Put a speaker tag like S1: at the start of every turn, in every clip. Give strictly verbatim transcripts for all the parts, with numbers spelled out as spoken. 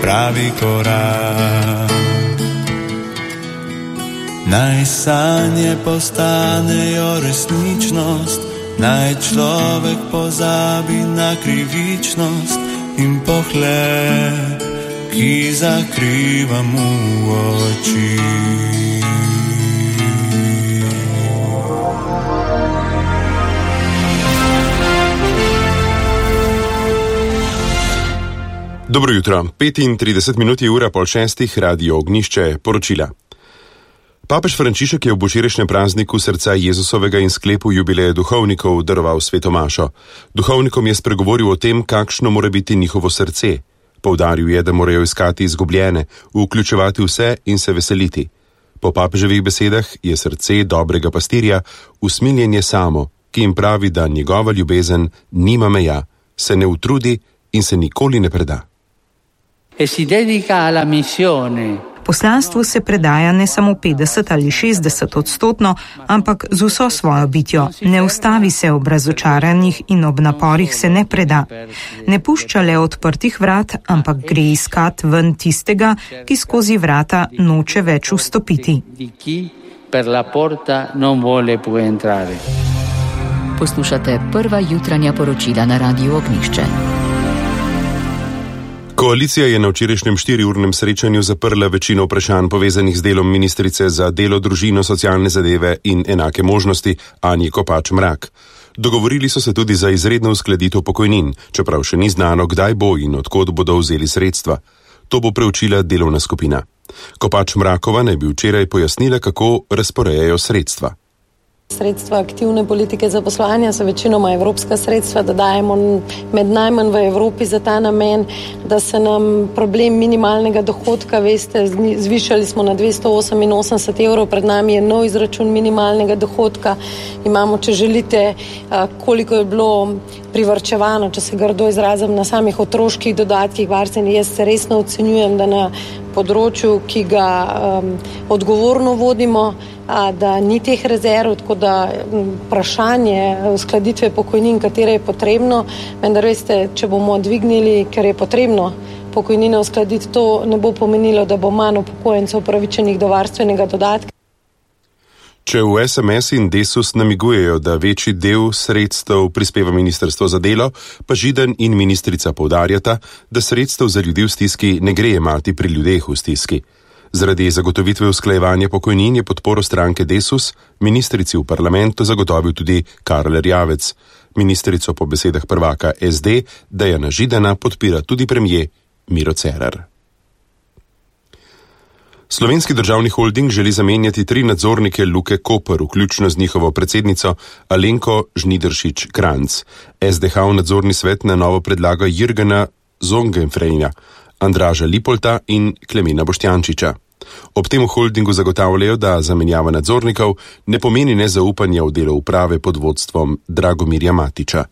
S1: pravi korak. Naj sanje postanejo resničnost, naj človek pozabi na krivičnost in pohled, ki zakriva mu oči.
S2: Dobro jutro, petintrideset minut je ura pol šestih, Radio Ognjišče, poročila. Papež Frančišek je v božičnem prazniku srca Jezusovega in sklepu jubileja duhovnikov daroval sveto mašo. Duhovnikom je spregovoril o tem, kakšno mora biti njihovo srce. Poudaril je, da morajo iskati izgubljene, vključevati vse in se veseliti. Po papeževih besedah je srce dobrega pastirja usmiljenje samo, ki jim pravi, da njegova ljubezen nima meja, se ne utrudi in se nikoli ne preda.
S3: E si dedica alla missione.
S4: Poslanstvu se predaja ne samo petdeset ali šestdeset odstotno, ampak z vso svojo bitjo. Ne ustavi se ob razočaranjih in ob naporih se ne preda. Ne pušča le odprtih vrat, ampak gre iskat ven tistega, ki skozi vrata noče več vstopiti.
S5: Poslušate prva jutranja poročila na Radiu Ognjišče.
S2: Koalicija je na včerajšnjem štiriurnem srečanju zaprla večino vprašanj povezanih z delom ministrice za delo, družino, socialne zadeve in enake možnosti Anje Kopač Mrak. Dogovorili so se tudi za izredno uskladitev pokojnin, čeprav še ni znano, kdaj bo in od kod bodo vzeli sredstva. To bo preučila delovna skupina. Kopač Mrakova naj bi včeraj pojasnila, kako razporejajo sredstva.
S6: Sredstva aktivne politike zaposlovanja so večinoma evropska sredstva, da dajemo med najmanj v Evropi za ta namen, da se nam problem minimalnega dohodka, veste, zvišali smo na dvesto oseminosemdeset evrov, pred nami je nov izračun minimalnega dohodka. Imamo, če želite, koliko je bilo privarčevano, če se grdo izrazim, na samih otroških dodatkih, varstveni. Jaz se resno ocenjujem, da na področju, ki ga um, odgovorno vodimo, a, da ni teh rezerv, tako da vprašanje uskladitve pokojnin, katere je potrebno, vendar veste, če bomo dvignili, ker je potrebno pokojnine uskladiti, to ne bo pomenilo, da bo manj upokojencev upravičenih do varstvenega dodatka.
S2: Če v es em es in Desus namigujejo, da večji del sredstev prispeva Ministrstvo za delo, pa Židan in ministrica poudarjata, da sredstev za ljudi v stiski ne gre jemati pri ljudeh v stiski. Zaradi zagotovitve usklajevanja pokojnin je podporo stranke Desus ministrici v parlamentu zagotovil tudi Karl Erjavec. Ministrico po besedah prvaka es de Dejana Židana podpira tudi premier Miro Cerar. Slovenski državni holding želi zamenjati tri nadzornike Luke Koper, vključno z njihovo predsednico Alenko Žnidaršič-Kranjc. es de ha v nadzorni svet na novo predlaga Jürgena Zongenfrejna, Andraža Lipolta in Klemena Boštjančiča. Ob tem v holdingu zagotavljajo, da zamenjava nadzornikov ne pomeni nezaupanja v delo uprave pod vodstvom Dragomirja Matiča.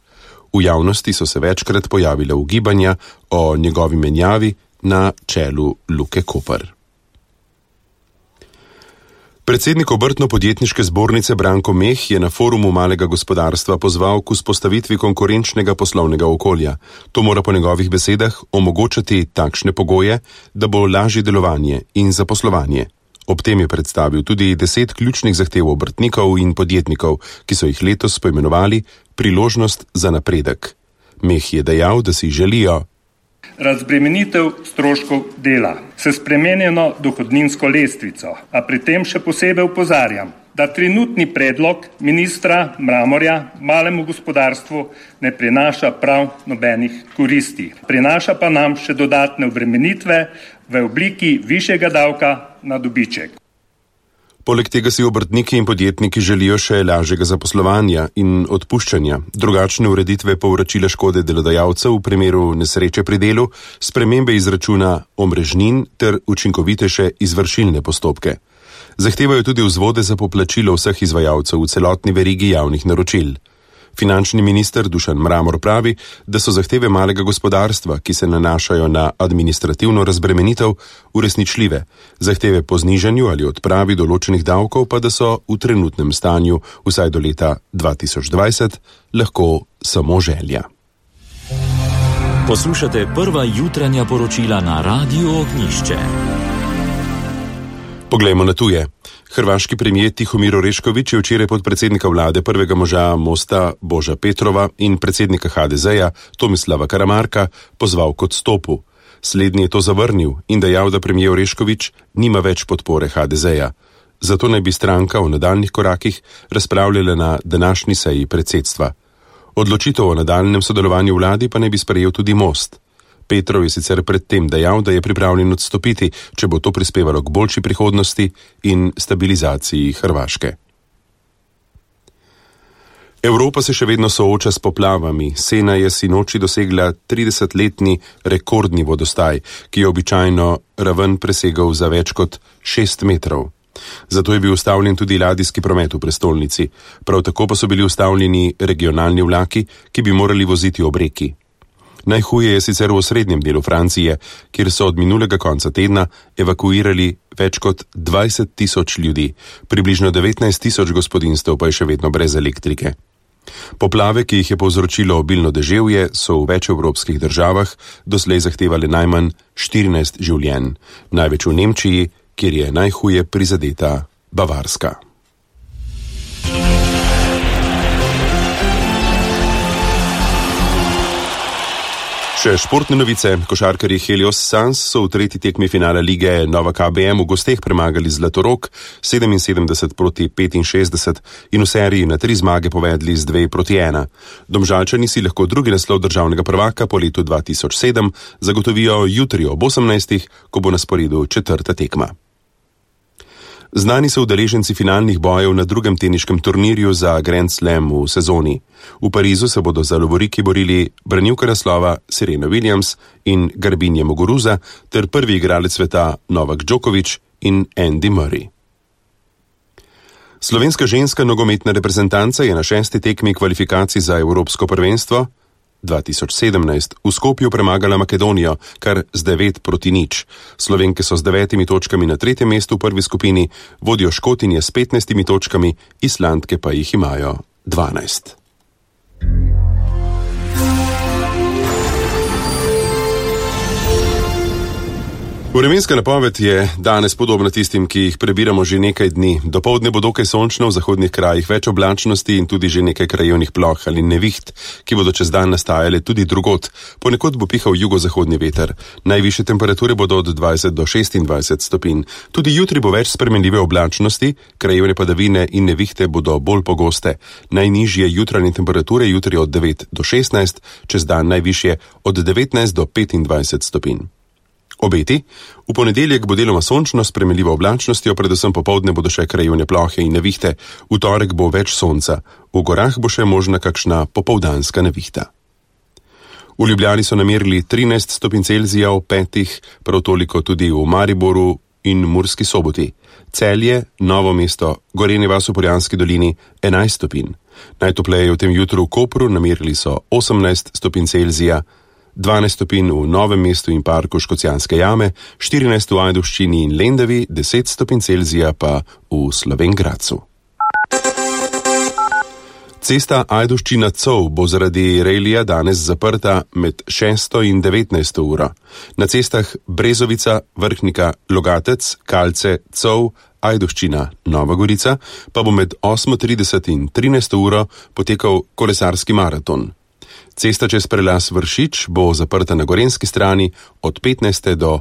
S2: V javnosti so se večkrat pojavile ugibanja o njegovi menjavi na čelu Luke Koper. Predsednik Obrtno-podjetniške zbornice Branko Meh je na forumu malega gospodarstva pozval k vzpostavitvi konkurenčnega poslovnega okolja. To mora po njegovih besedah omogočati takšne pogoje, da bo lažje delovanje in zaposlovanje. Ob tem je predstavil tudi deset ključnih zahtev obrtnikov in podjetnikov, ki so jih letos poimenovali priložnost za napredek. Meh je dejal, da si želijo
S7: razbremenitev stroškov dela s spremenjeno dohodninsko lestvico, a pri tem še posebej opozarjam, da trenutni predlog ministra Mramorja malemu gospodarstvu ne prinaša prav nobenih koristi. Prinaša pa nam še dodatne obremenitve v obliki višjega davka na dobiček.
S2: Poleg tega si obrtniki in podjetniki želijo še lažjega zaposlovanja in odpuščanja, drugačne ureditve povračila škode delodajalcev v primeru nesreče pri delu, spremembe izračuna omrežnin ter učinkovitejše izvršilne postopke. Zahtevajo tudi vzvode za poplačilo vseh izvajalcev v celotni verigi javnih naročil. Finančni minister Dušan Mramor pravi, da so zahteve malega gospodarstva, ki se nanašajo na administrativno razbremenitev, uresničljive. Zahteve po znižanju ali odpravi določenih davkov pa da so v trenutnem stanju, vsaj do leta dva tisoč dvajset, lahko samo želja.
S8: Poslušate prva jutranja poročila na Radiu Ognjišče.
S2: Poglejmo na tuje. Hrvaški premijer Tihomir Orešković je včeraj podpredsednika vlade prvega moža Mosta Boža Petrova in predsednika ha de zeja Tomislava Karamarka pozval k odstopu. Slednji je to zavrnil in dejal, da premijer Orešković nima več podpore ha de zeja. Zato naj bi stranka o nadaljnih korakih razpravljala na današnji seji predsedstva. Odločitev o nadaljnem sodelovanju v vladi pa naj bi sprejel tudi Most. Petrov je sicer predtem dejal, da je pripravljen odstopiti, če bo to prispevalo k boljši prihodnosti in stabilizaciji Hrvaške. Evropa se še vedno sooča s poplavami. Sena je sinoči dosegla tridesetletni rekordni vodostaj, ki je običajno raven presegal za več kot šest metrov. Zato je bil ustavljen tudi ladijski promet v prestolnici. Prav tako pa so bili ustavljeni regionalni vlaki, ki bi morali voziti ob reki. Najhuje je sicer v osrednjem delu Francije, kjer so od minulega konca tedna evakuirali več kot dvajset tisoč ljudi, približno devetnajst tisoč gospodinjstev pa je še vedno brez elektrike. Poplave, ki jih je povzročilo obilno deževje, so v več evropskih državah doslej zahtevali najmanj štirinajst življenj, največ v Nemčiji, kjer je najhuje prizadeta Bavarska. Še športne novice. Košarkarji Helios Suns so v tretji tekmi finala lige Nova K B M v gosteh premagali Zlatorog sedeminsedemdeset proti petinšestdeset in v seriji na tri zmage povedli z dve proti ena. Domžalčani si lahko drugi naslov državnega prvaka po letu dva tisoč sedem zagotovijo jutri ob osemnajstih, ko bo na sporedu četrta tekma. Znani so udeleženci finalnih bojev na drugem teniškem turnirju za Grand Slam v sezoni. V Parizu se bodo za lovoriki borili branilka naslova Serena Williams in Garbine Muguruza ter prvi igralec sveta Novak Djokovic in Andy Murray. Slovenska ženska nogometna reprezentanca je na šesti tekmi kvalifikacij za Evropsko prvenstvo dva tisoč sedemnajst v Skopju premagala Makedonijo, kar z devet proti nič. Slovenke so z devetimi točkami na tretjem mestu v prvi skupini, vodijo Škotinje s petnajstimi točkami, Islandke pa jih imajo dvanajst. Vremenska napoved je danes podobna tistim, ki jih prebiramo že nekaj dni. Dopoldne bo dokaj sončno, v zahodnih krajih več oblačnosti in tudi že nekaj krajevnih ploh ali neviht, ki bodo čez dan nastajale tudi drugod. Ponekod bo pihal jugozahodni veter. Najvišje temperature bodo od dvajset do šestindvajset stopinj. Tudi jutri bo več spremenljive oblačnosti, krajevne padavine in nevihte bodo bolj pogoste. Najnižje jutranje temperature jutri od devet do šestnajst, čez dan najvišje od devetnajst do petindvajset stopinj. Obeti. V ponedeljek bo deloma sončno s spremenljivo oblačnostjo, predvsem popoldne bodo še krajevne plohe in nevihte. V torek bo več sonca. V gorah bo še možna kakšna popoldanska nevihta. V Ljubljani so namerili trinajst stopinj Celzija, v petih, prav toliko tudi v Mariboru in Murski Soboti. Celje, Novo mesto, Gorenje vas v Poljanski dolini enajst stopinj. Najtopleje v tem jutru v Kopru namerili so osemnajst stopinj Celzija, dvanajst stopinj v Novem mestu in parku Škocjanske jame, štirinajst v Ajdovščini in Lendavi, deset stopinj Celzija pa v Slovenj Gradcu. Cesta Ajdovščina-Cov bo zaradi rejlija danes zaprta med šesto in devetnajsto uro. Na cestah Brezovica, Vrhnika, Logatec, Kalce, Cov, Ajdovščina, Nova Gorica pa bo med osmo trideset in trinajsto uro potekal kolesarski maraton. Cesta čez prelaz Vršič bo zaprta na gorenjski strani od petnajste do